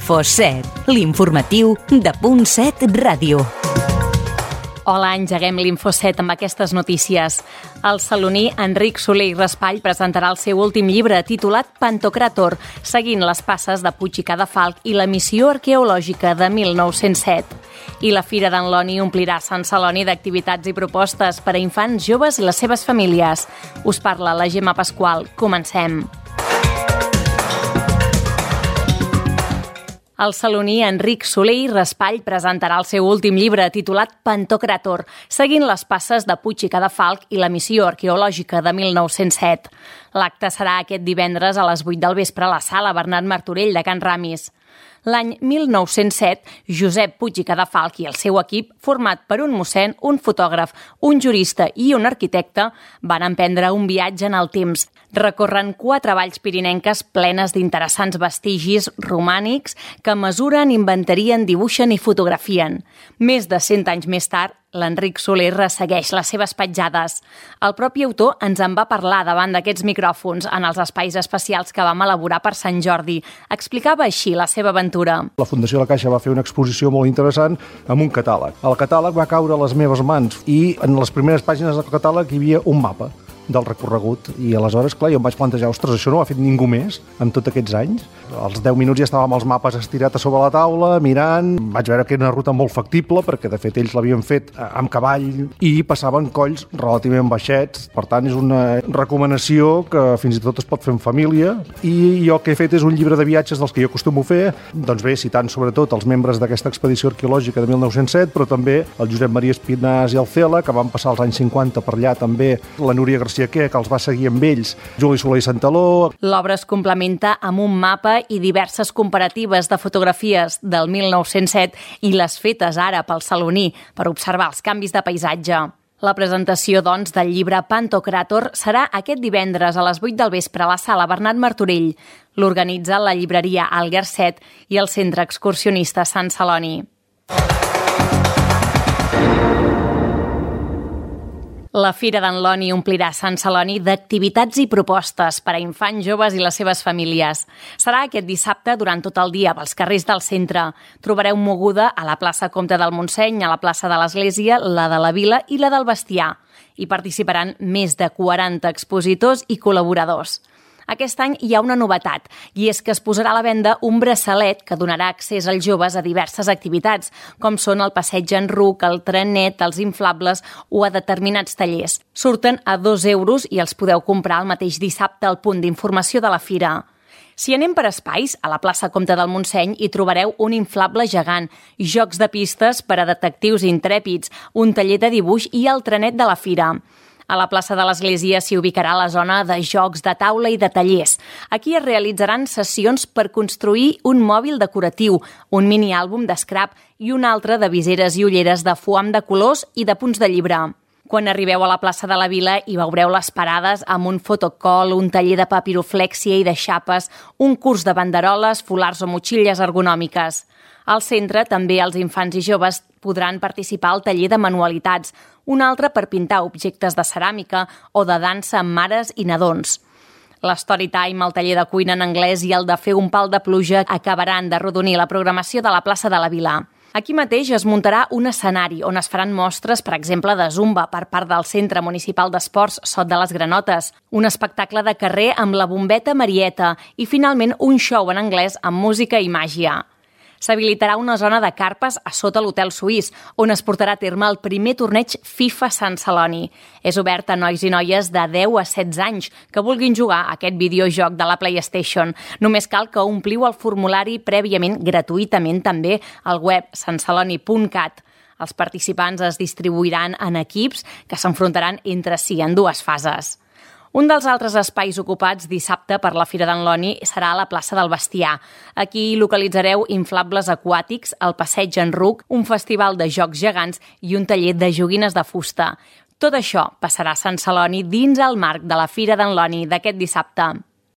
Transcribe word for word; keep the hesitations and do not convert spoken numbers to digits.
Info set, l'informatiu de Punt set Ràdio. Hola, engeguem l'Info set amb aquestes notícies. El saloní Enric Soler i Raspall presentarà el seu últim llibre titulat Pantocràtor, seguint les passes de Puig i Cadafalch i la missió arqueològica de mil nou-cents set. I la Fira d'en Loni omplirà Sant Celoni d'activitats i propostes per a infants, joves i les seves famílies. Us parla la Gemma Pasqual. Comencem. El saloní Enric Soler i Raspall presentarà el seu últim llibre titulat Pantocràtor, seguint les passes de Puig i Cadafalch i la missió arqueològica de mil nou-cents set. L'acte serà aquest divendres a les vuit del vespre a la sala Bernat Martorell de Can Ramis. L'any mil nou-cents set, Josep Puig i Cadafalch i el seu equip, format per un mossèn, un fotògraf, un jurista i un arquitecte, van emprendre un viatge en el temps. Recorren quatre valls pirinenques plenes d'interessants vestigis romànics que mesuren, inventarien, dibuixen i fotografien. Més de cent anys més tard, l'Enric Soler ressegueix les seves petjades. El propi autor ens en va parlar davant d'aquests micròfons en els espais especials que vam elaborar per Sant Jordi. Explicava així la seva aventura. La Fundació La Caixa va fer una exposició molt interessant amb un catàleg. El catàleg va caure a les meves mans i en les primeres pàgines del catàleg hi havia un mapa del recorregut. I aleshores, clar, jo em vaig plantejar, ostres, això no ho ha fet ningú més en tots aquests anys. Als deu minuts ja estàvem els mapes estirats a sobre la taula, mirant. Vaig veure que era una ruta molt factible, perquè de fet ells l'havien fet amb cavall i passaven colls relativament baixets. Per tant, és una recomanació que fins i tot es pot fer en família. I jo el que he fet és un llibre de viatges dels que jo acostumo a fer, doncs bé, citant sobretot els membres d'aquesta expedició arqueològica de mil nou-cents set, però també el Josep Maria Espinàs i el Cela, que van passar als anys cinquanta per allà també, la Núria García que els va seguir amb ells, Juli Soler i Santaló. L'obra es complementa amb un mapa i diverses comparatives de fotografies del mil nou-cents set i les fetes ara pel saloní per observar els canvis de paisatge. La presentació, doncs, del llibre Pantocràtor serà aquest divendres a les vuit del vespre a la sala Bernat Martorell. L'organitza la llibreria Alger set i el Centre Excursionista Sant Celoni. La Fira d'en Loni omplirà Sant Celoni d'activitats i propostes per a infants, joves i les seves famílies. Serà aquest dissabte durant tot el dia pels carrers del centre. Trobareu moguda a la plaça Comte del Montseny, a la plaça de l'Església, la de la Vila i la del Bestiar. Hi participaran més de quaranta expositors i col·laboradors. Aquest any hi ha una novetat, i és que es posarà a la venda un braçalet que donarà accés als joves a diverses activitats, com són el passeig en ruc, el trenet, els inflables o a determinats tallers. Surten a dos euros i els podeu comprar el mateix dissabte al punt d'informació de la fira. Si anem per espais, a la plaça Comte del Montseny hi trobareu un inflable gegant, jocs de pistes per a detectius intrèpids, un taller de dibuix i el trenet de la fira. A la plaça de l'Església s'hi ubicarà la zona de jocs de taula i de tallers. Aquí es realitzaran sessions per construir un mòbil decoratiu, un miniàlbum d'escrap i un altre de viseres i ulleres de foam de colors i de punts de llibre. Quan arribeu a la plaça de la Vila hi veureu les parades amb un fotocol, un taller de papiroflèxia i de xapes, un curs de banderoles, folars o motxilles ergonòmiques. Al centre també els infants i joves podran participar al taller de manualitats, un altre per pintar objectes de ceràmica o de dansa amb mares i nadons. L'Storytime, el taller de cuina en anglès i el de fer un pal de pluja acabaran de rodonir la programació de la plaça de la Vila. Aquí mateix es muntarà un escenari on es faran mostres, per exemple, de zumba per part del Centre Municipal d'Esports Sot de les Granotes, un espectacle de carrer amb la bombeta Marieta i, finalment, un show en anglès amb música i màgia. S'habilitarà una zona de carpes a sota l'Hotel Suís, on es portarà a terme el primer torneig FIFA Sant Celoni. És obert a nois i noies de deu a setze anys que vulguin jugar a aquest videojoc de la PlayStation. Només cal que ompliu el formulari prèviament gratuïtament també al web sant celoni punt cat. Els participants es distribuiran en equips que s'enfrontaran entre si en dues fases. Un dels altres espais ocupats dissabte per la Fira d'en Loni serà a la plaça del Bestiar. Aquí localitzareu inflables aquàtics, el passeig en ruc, un festival de jocs gegants i un taller de joguines de fusta. Tot això passarà a Sant Celoni dins el marc de la Fira d'en Loni d'aquest dissabte.